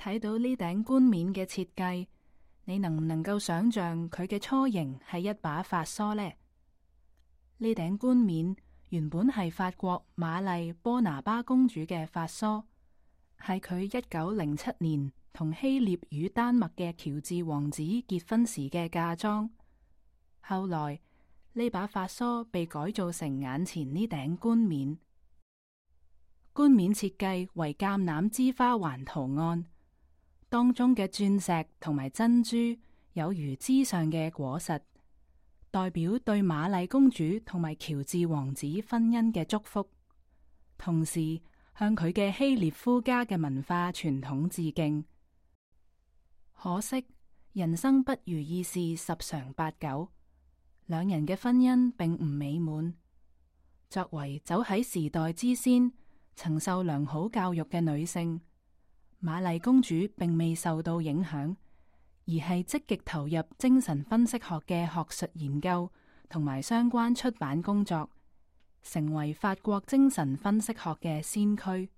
睇到呢頂冠冕嘅設計，你能唔能夠想象佢嘅雛形係一把髮梳呢？呢頂冠冕原本係法國瑪麗波拿巴公主嘅髮梳，係佢1907年同希臘與丹麥嘅喬治王子結婚時嘅嫁妝。後來呢把髮梳被改造成眼前呢頂冠冕。冠冕設計為橄欖枝花環圖案，當中嘅鑽石同埋珍珠有如枝上嘅果實，代表對瑪麗公主同埋喬治王子婚姻嘅祝福，同時向佢嘅希臘夫家嘅文化傳統致敬。可惜人生不如意事十常八九，兩人嘅婚姻並唔美滿。作為走喺時代之先，曾受良好教育嘅女性，瑪麗公主並未受到影響，而係積極投入精神分析學嘅學術研究同埋相關出版工作，成為法國精神分析學嘅先驅。